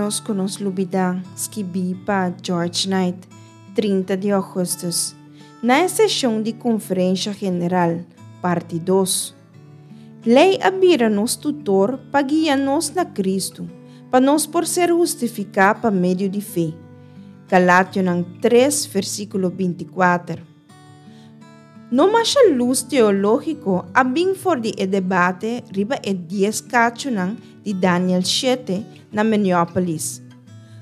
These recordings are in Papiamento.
ménos ku nos lubidá, skibí pa George Knight, 30 di ougùstùs, na e seshon di Konferensha General, parti dos. Lei a bira nos tutor pa guia nos na Kristu, pa nos por ser hustifiká pa medio di fe. Galationan tres, versíkulo 24. No masha lus teológiko a bin for di e debate riba e dies kachunan di Daniel shete na Minneapolis.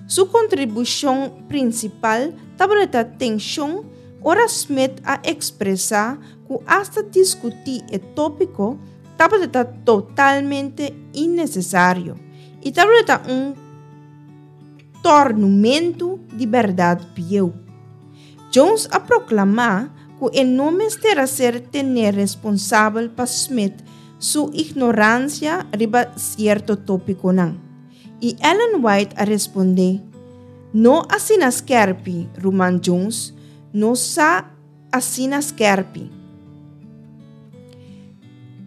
Su kontribushon prinsipal tabata tenshon ora Smith a ekspresá ku asta diskutí e tópiko tabata totalmente innesesario i tabata un tòrnumentu di bèrdat bieu. Jones a proklamá ku e no mester a ser tené responsabel pa Smith su ignoransia riba sierto tópikonan. I Ellen White a respondé, No asina skèrpi, Ruman Jones, nos sa asina skèrpi.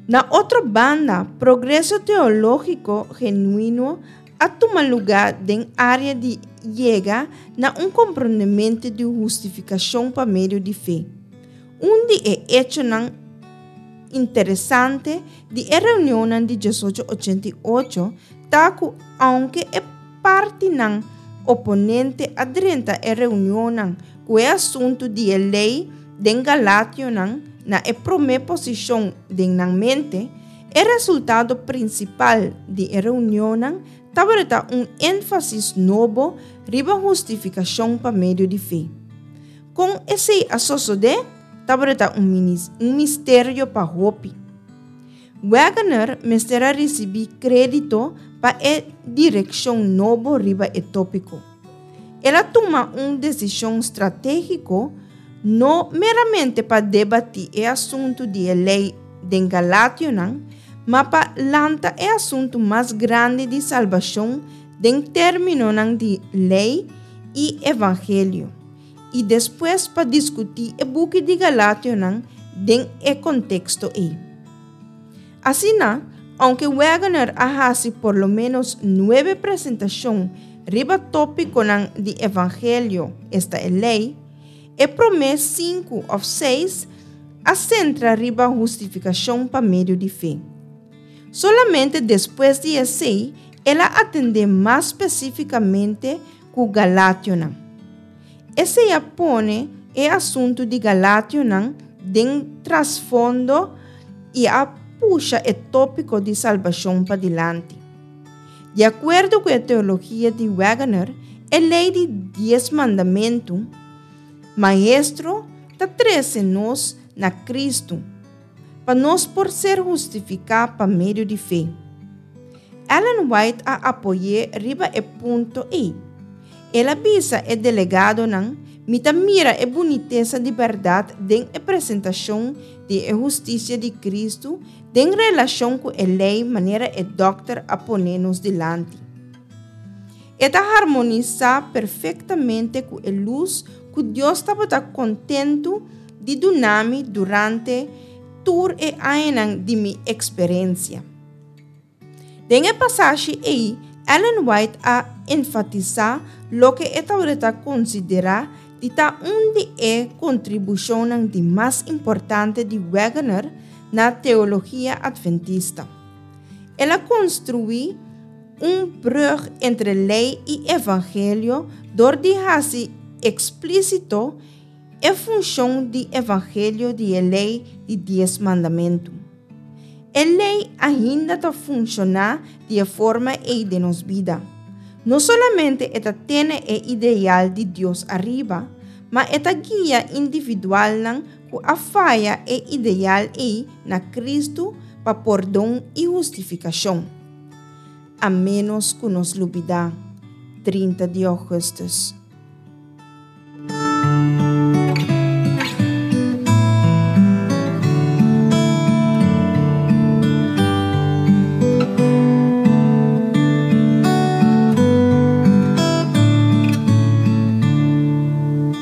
Na otro banda, progreso teológiko genuino a tuma lugá den área di yega na un komprondementu di hustifikashon pa medio di fe. Un di e echonan interesante di e reunionnan di 1888 ta ku ounke e partinan oponente a drenta e reunionnan ku e asuntu di e lei den Galationan na e promé posishon den nan mente, e resultado prinsipal di e reunionnan tabata un énfasis nobo riba hustifikashon pa medio di fe. Kon esei a sosodé tabata un misterio pa hopi. Waggoner mester a risibí krédito pa e direkshon nobo riba e tópiko. El a tuma un desishon stratégiko no meramente pa debatí e asuntu di e lei den Galationan, ma pa lanta e asuntu mas grandi di salbashon den términonan di lei i evangelio, i despues pa diskutí e buki di Galationan den e konteksto ei. Asina, ounke Waggoner a hasi por lo ménos nuebe presentashon riba tópikonan di evangelio, esta e lei, e promé sinku òf seis a sentra riba hustifikashon pa medio di fe. Solamente despues di esei el a atendé mas spesífikamente ku Galationan. Esei a pone e asuntu di Galationan den trasfondo i a pusha e tópiko di salbashon padilanti. Di akuerdo ku e teologia di Waggoner, e lei di Dies Mandamentu, Maestro, ta trese nos na Kristu, pa nos por ser hustifiká pa medio di fe. Ellen White a apoy'é riba e punto ei. El a bisa e delegadonan, Mi ta mira e bunitesa di bèrdat den e presentashon di e hustisia di Kristu den relashon ku e lei manera e dòkter a pone nos dilanti. E ta harmonisá perfektamente ku e lus ku Dios tabata kontentu di duna mi durante tur e añanan di mi eksperensia. Den e pasashi ei, Ellen White a enfatisá loke e tabata konsiderá di ta un di e kontribushonnan di mas importante di Waggoner na teologia atventista. El a konstruí un brùg entre lei i evangelio dor di hasi eksplísito e funshon di evangelio di e lei di Dies Mandamentu. E lei ainda ta funshoná di e forma ei den nos bida. No solamente e ta tene e ideal di Dios ariba, ma e ta guia individualnan ku a faya e ideal ei na Kristu pa pordon i hustifikashon. A ménos ku nos lubidá, 30 di ougùstùs.